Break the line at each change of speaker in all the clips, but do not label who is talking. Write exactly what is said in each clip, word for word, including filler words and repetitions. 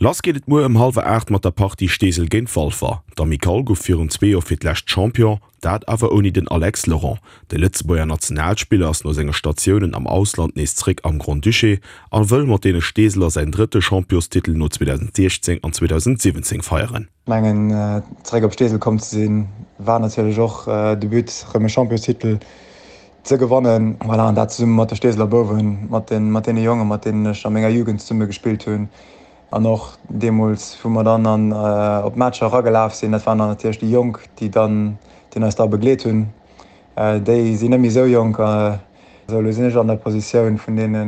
Lass geet et muer ëm hallwer aacht mat der Partie Steesel géint Walfer. D'Amicale gouf virun zwee Joer fir d'lescht Champion, dat awer ouni den Alex Laurent. De Lëtzebuerger Nationalspiller ass no senge Statiounen am Ausland nees zréck am Grand-Duché a wëll mat deene Steeseler säin drëtte Championstitel no zweedausendsechzéng an zweedausentsiwwenzéng feieren.
Ech mengen, zeréck op Steesel komm ze sinn, war natierlech och de But, erëm e Championstitel ze gewannen. Voilà, an dat zesumme mat de Steeseler Bouwen, mat deene Jongen, mat deenen ech a menger Jugend zesumme gespillt hunn. An och deemools, wou mer dann an op d'Matcher eragelaf sinn, dat waren dann natierlech déi Jonk, déi dann, déi eis da begleet hunn. Déi sinn net méi esou jonk. Esou, elo sinn ech an der Positioun vun deene,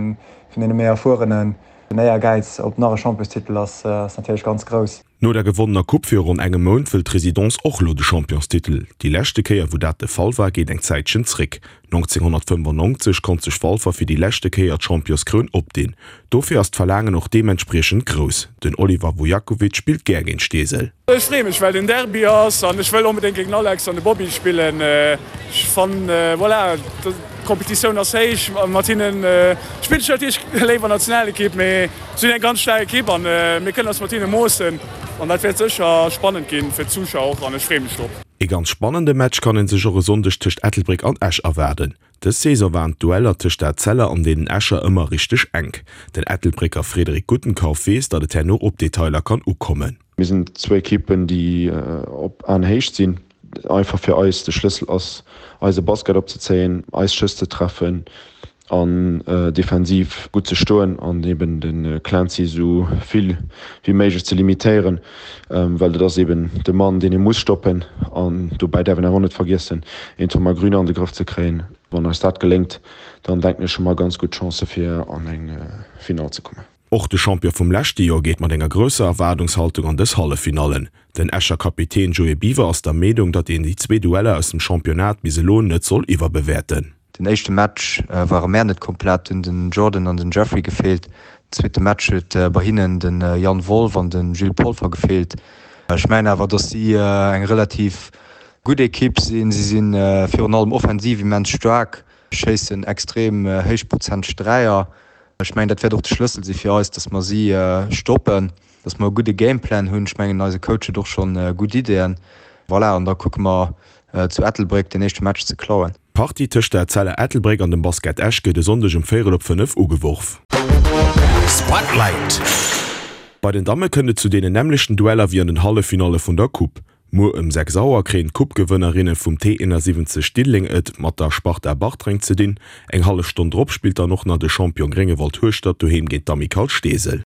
vun deene méi Erfuerenen. Den Éiergäiz op nach e Championstitel ass, ass natierlech ganz grouss.
No der gewonnener Coupe viru ronn engem Mount wëll d'Residence och elo de Championstitel. Déi leschte Kéier wou dat de Fall war geet eng Zäitchen zréck. nonzénghonnertfënnefannonzeg konnt sech Walfer fir déi leschte Kéier d'Championskroun opdinn. Dofir ass d'Verlaangen och deementspriechend grouss. Den Oliver Vujakovic spillt gär géint Steesel.
Ech freeë mech well den Derby ass an ech wëll onbedéngt géint den Alex an de Bobby spillen. Ech fannen, voilà, d'Kompetitioun ass héich. Mat hinne spillen ech natierlech léiwer Nationalekipp, mee si hunn eng ganz staark Ekipp an mir kënnen eis mat hinne moossen an dat wäert sécher spannend ginn fir d'Zuschauer och an ech freeë mech drop.
Ee ganz spannende Match kann ee sech och e Sonndeg tëscht Ettelbréck an Esch erwaarden. Dës Saison waren d'Dueller tëscht der Etzella an deenen Escher ëmmer richteg enk. Den Ettelbrécker Frédéric Gutenkauf weess, datt et herno op Detailer kann ukommen.
Mir sinn zwou Ekippen, déi op Aenhéicht sinn. Einfach fir eis de Schlëssel ass, eise Basket opzezéien, eis Schëss ze treffen an defensiv gutt ze stoen an eben de Clancy esou vill wéi méiglech ze limitéieren, well dat ass eben de Mann, deen ee muss stoppen. An dobäi däerf een awer och net vergiessen, een Thomas Grüner an de Grëff ze kréien. Wann eis dat geléngt, dann denken ech hu mer ganz gutt Chancë fir an eng Finall ze kommen.
Och de Champion vum leschte Joer geet mat enger grousser Erwaardungshaltung an dës Halleffinallen. Den Escher Kapitän Joé Biver ass der Meenung, datt een déi zwee Dueller aus dem Championnat bis elo net soll iwwerbewäerten.
Den éischte Match ware mär net komplett, hunn den Jordan an den Jeffrey gefeelt. Den zweete Match huet bei hinnen de Yann Wolff an de Gilles Polfer gefeelt. Ech mengen awer, datt si eng relativ gutt Ekipp sinn. Si si virun allem offensiv immens staark, schéissen extrem héichprozenteg Dräier. Ech mengen, dat wäert och de Schlëssel si fir eis, datt mer si stoppen, datt mer e gudde Gameplan hunn. Ech mengen, eise Coach huet och schonn gutt Ideeën. Voilà, an da kucke mer zu Ettelbréck den éischte Match ze klauen.
D'Partie tëscht der Etzella Ettelbréck an dem Basket Esch gëtt e Sonndeg um véierel op fënnef ugeworf.
Spotlight.
Bei den Damme kënnt et zu deenen nämmlechten Dueller wéi an den Halleffinalle vun der Coupe. Muer ëm sechs Auer kréien d'Coupe-Gewënnerinne vum T eenansiwwenzeg Diddeleng et mat der Sparta Bartreng ze dinn. Eng hallef Stonn drop spillt dann och nach de Champion Gréngewald Hueschtert doheem géint d'Amicale Steesel.